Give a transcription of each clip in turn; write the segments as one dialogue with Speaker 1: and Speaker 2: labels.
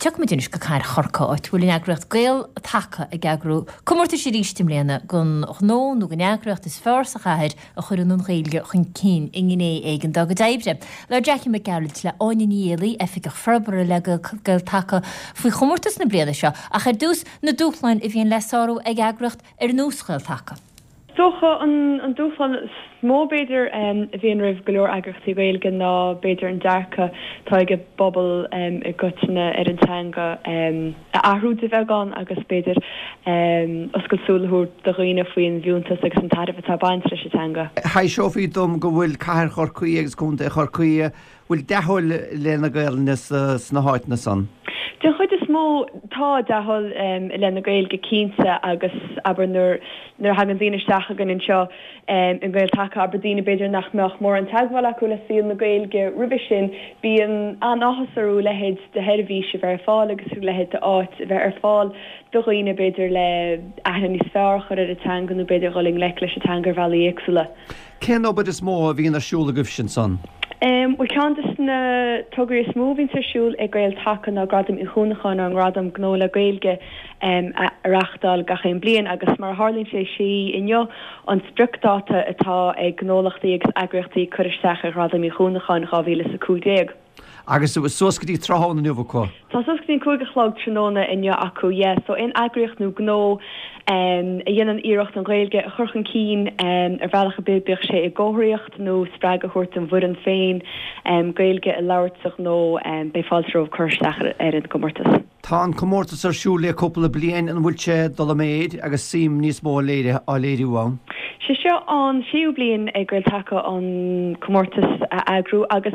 Speaker 1: Tiocfaimid anois go Cathair Chorcaí, áit a bhfuil an eagraíocht Gael Taca ag eagrú comórtais arís i mbliana don ghnó nó don eagraíocht is fearr sa chathair a chuireann an Ghaeilge chun cinn i ngné éigin dá gcuid oibre. Labhair Jackie Mac Gearailt le Áine Ní Éalaí, Oifigeach Forbartha le Gael Taca faoi chomórtas na bliana seo, ach ar dtús, na dúshláin a bhíonn le sárú ag eagraíocht ar nós Ghael Taca.
Speaker 2: Is dócha an dúshlán is mó b'fhéidir a bhíonn roimh go leor eagraíochtaí Gaeilge ná b'fhéidir an dearcadh atá ag an bpobal i gcoitinne ar an teanga a athrú de bheagán agus b'fhéidir oscailt súl a thabhairt do dhaoine faoin bhfiúntas agus an tairbhe atá ag baint leis an teanga.
Speaker 3: Thaibhseofaí dom go bhfuil cathair Chorcaí agus contae Chorcaí bhfuil dea-thoil i leith na Gaelainne sna háiteanna san?
Speaker 2: Den chuid is mó tá dea-thoil i leith na Gaeilge cinnte agus abair nuair nuair a thagann daoine isteach chugainn anseo i nGael Taca, abair daoine b'fhéidir nach mbeadh mórán teagmháil acu le saol na Gaeilge roimhe sin, bíonn an-áthas orthu a leithéid de sheirbhís a bheith ar fáil agus a leithéid de áit a bheith ar fáil do dhaoine b'fhéidir le aithne níos fearr a chur ar an teanga nó b'fhéidir dhul i ngleic leis an teanga ar bhealaí éagsúla.
Speaker 3: Cén obair is mó a bhíonn ar siúl agaibhse ansan?
Speaker 2: Bhuel, ceann de na tograí is mó a bhíonns ar siúl ag Gael Taca ná Gradam Uí Chuanacháin, ár ngradam gnó le Gaeilge, a reáchtáil gach aon bliain agus mar a tharlaíonn sé, sé inniu an spriocdáta atá ag gnólachtaí agus eagraíochtaí cur isteach ar Ghradam Uí Chuanacháin 2015.
Speaker 3: Agus suas go dtí tráthnóna inniu acu.
Speaker 2: Tá suas go dtí an 5 a chlog tráthnóna inniu acu, yeah. So aon eagraíocht nó gnó a dhéanann iarracht an Ghaeilge a chur chun cinn ar bhealach ar bith, bíodh sé i gcomharthaíocht nó spreagadh a thabhairt don bhfoireann féin Gaeilge a labhairt sa ghnó, beidh fáilte romhaibh cur isteach ar an gcomórtas.
Speaker 3: Tá an comórtas ar siúl le cúpla bliain, an bhfuil sé ag dul i méid agus suim níos mó á léiriú ann?
Speaker 2: Sé seo an séú bliain ag Gael Taca an comórtas a eagrú agus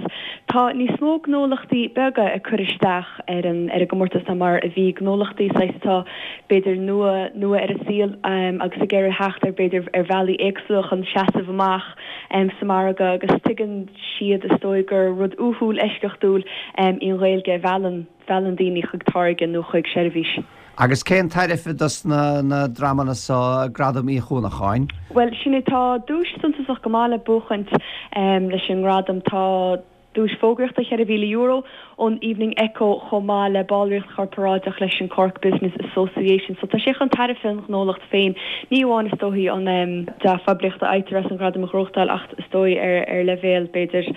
Speaker 2: tá níos mó gnólachtaí beaga ag cur isteach ar an ar an gcomórtas ná mar a bhí, gnólachtaí saghas atá b'fhéidir nua nua ar an saol agus ag iarraidh theacht ar b'fhéidir ar bhealaí éagsúla chun seasamh amach sa margadh agus tuigeann siad is dóigh gur rud uathúil eisceachtúil í an Ghaeilge a mheallann mheallann daoine chuig táirge nó chuig seirbhís.
Speaker 3: Agus cén tairbhe dos na dreamanna so Gradam Uí Chuanacháin?
Speaker 2: Bhuel, sin é, tá duais suntasach go maith le buachaint leis an ngradam. Tá duais fógraíochta €4,000 ón Evening Echo chomh maith le ballraíocht chorparáideach leis an Cork Business Association. So tá sé chun tairbhe an ghnólacht féin, ní amháin is dóichí an dea-phoiblíocht a fhaightear as an ghradam a ghnóthachtáil ach is dóigh ar leibhéal b'fhéidir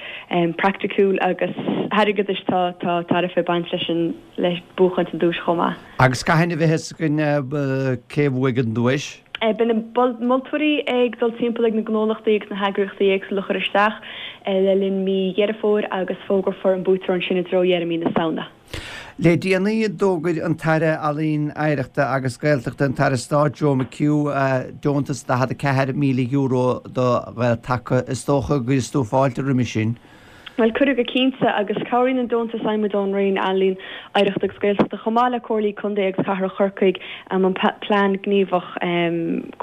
Speaker 2: praiticiúil agus airgeadais tá tá tairbhe ag baint leis an le buachaint an duais chomh maith.
Speaker 3: Agus cathain a bheidh fhios againn cé a bhuaigh an duais?
Speaker 2: Beidh na moltóirí ag dul timpeall ag na gnólachtaí agus na heagraíochtaí éagsúla a chuir isteach le linn mí Dheireadh Fómhair agus fógrófar an buaiteoir ansin i dtreo dheireadh mí na Samhna.
Speaker 3: Le déanaí d'fhógair an tAire Ealaíon, Oidhreachta agus Gaeltachta, an tAire Stáit Joe McHugh, deontas €44,000 do Ghael Taca. Is dócha go gcuirfeas tú fáilte roimhe sin.
Speaker 2: Bhuel, cuireadh go cinnte, agus cabhraíonn an deontas a fhaigheann muid ón Roinn Ealaíon, Oidhreachta agus Gaeltachta, chomh maith le Comhairlí Contae agus Cathrach Chorcaí, an plean gníomhach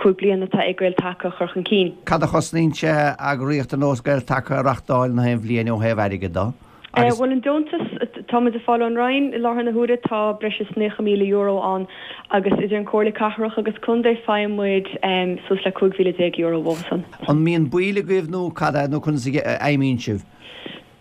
Speaker 2: 5 bliana atá ag Gael Taca a chur chun cinn.
Speaker 3: Cad a chosnaíonn sé eagraíocht ar nós Gael Taca a reachtáil na haon bhliain ó thaobh airgid de?
Speaker 2: Agus. Bhuel, an deontas atá muid ag fáil ón Roinn i láthair na huaire, tá breis is €90,000 ann agus idir an Comhairle Cathrach agus Contae faigheann muid suas le €15,000 uathusan.
Speaker 3: An mbíonn baill agaibh nó cad é, nó conas a fheidhmíonn sibh?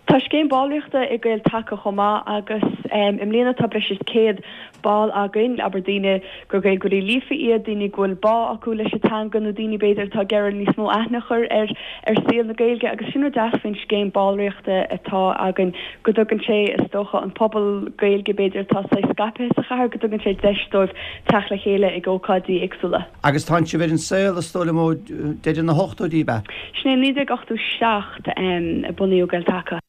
Speaker 2: Tá scéim ballraíochta ag Gael Taca chomh maith agus i mbliana tá breis is 100 ball againn, abair daoine gur Gaeilgeoirí líofa iad, daoine go bhfuil bá acu leis an teanga nó daoine b'fhéidir atá ag iarraidh níos mó aithne a chur ar ar saol na Gaeilge agus sin rud deas faoin scéim ballraíochta atá againn go dtugann sé is dócha an pobal Gaeilge b'fhéidir atá saghas scaipthe sa chathair go dtugann sé deis dóibh teacht le chéile ag ócáidí éagsúla.
Speaker 3: Agus tánn sibh ar an saol is dóigh liom ó deireadh na hochtóidí ab ea?
Speaker 2: Sin é 1987 a bunaíodh Gael Taca.